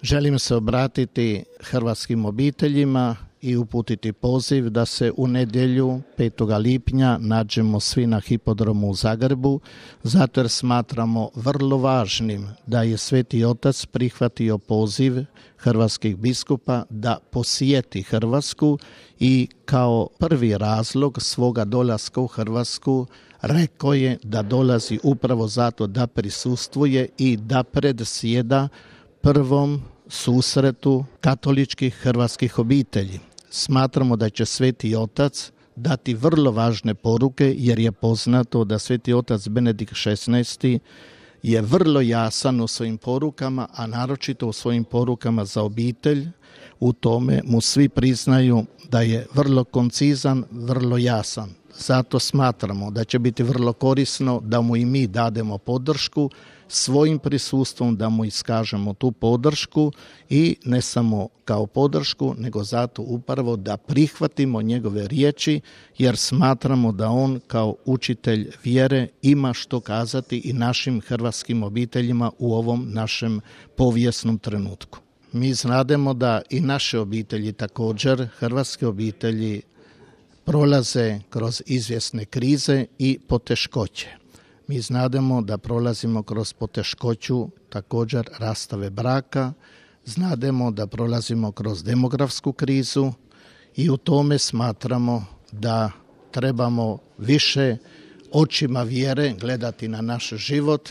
Želim se obratiti hrvatskim obiteljima i uputiti poziv da se u nedjelju 5. lipnja nađemo svi na hipodromu u Zagrebu, zato jer smatramo vrlo važnim da je Sveti Otac prihvatio poziv hrvatskih biskupa da posjeti Hrvatsku i kao prvi razlog svoga dolaska u Hrvatsku rekao je da dolazi upravo zato da prisustvuje i da predsjeda prvom susretu katoličkih hrvatskih obitelji. Smatramo da će Sveti Otac dati vrlo važne poruke, jer je poznato da Sveti Otac Benedikt XVI je vrlo jasan u svojim porukama, a naročito u svojim porukama za obitelj. U tome mu svi priznaju da je vrlo koncizan, vrlo jasan. Zato smatramo da će biti vrlo korisno da mu i mi dademo podršku, svojim prisustvom da mu iskažemo tu podršku i ne samo kao podršku, nego zato upravo da prihvatimo njegove riječi, jer smatramo da on kao učitelj vjere ima što kazati i našim hrvatskim obiteljima u ovom našem povijesnom trenutku. Mi znademo da i naše obitelji također, hrvatske obitelji, prolaze kroz izvjesne krize i poteškoće. Mi znademo da prolazimo kroz poteškoću također rastave braka, znademo da prolazimo kroz demografsku krizu i u tome smatramo da trebamo više očima vjere gledati na naš život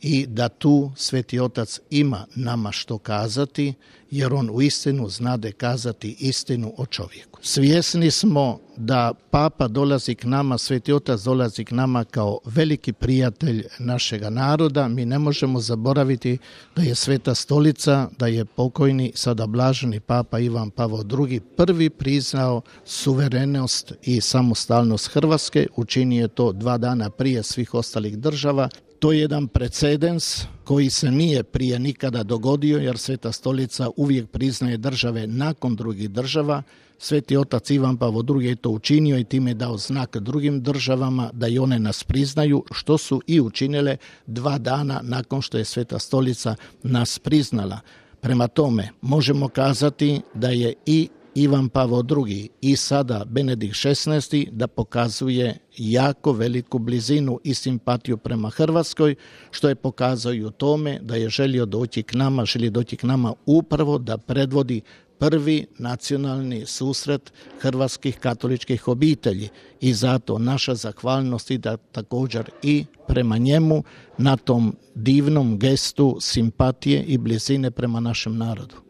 i da tu Sveti Otac ima nama što kazati, jer on uistinu znade kazati istinu o čovjeku. Svjesni smo da Papa dolazi k nama, Sveti Otac dolazi k nama kao veliki prijatelj našega naroda. Mi ne možemo zaboraviti da je Sveta Stolica, da je pokojni, sada blaženi Papa Ivan Pavao II prvi priznao suverenost i samostalnost Hrvatske. Učinio je to 2 dana prije svih ostalih država. To je jedan precedens koji se nije prije nikada dogodio, jer Sveta Stolica uvijek priznaje države nakon drugih država. Sveti Otac Ivan Pavao II je to učinio i time je dao znak drugim državama da i one nas priznaju, što su i učinile 2 dana nakon što je Sveta Stolica nas priznala. Prema tome, možemo kazati da je i Ivan Pavao II i sada Benedikt XVI da pokazuje jako veliku blizinu i simpatiju prema Hrvatskoj, što je pokazao i u tome da je želi doći k nama upravo da predvodi prvi nacionalni susret hrvatskih katoličkih obitelji i zato naša zahvalnost ide također i prema njemu na tom divnom gestu simpatije i blizine prema našem narodu.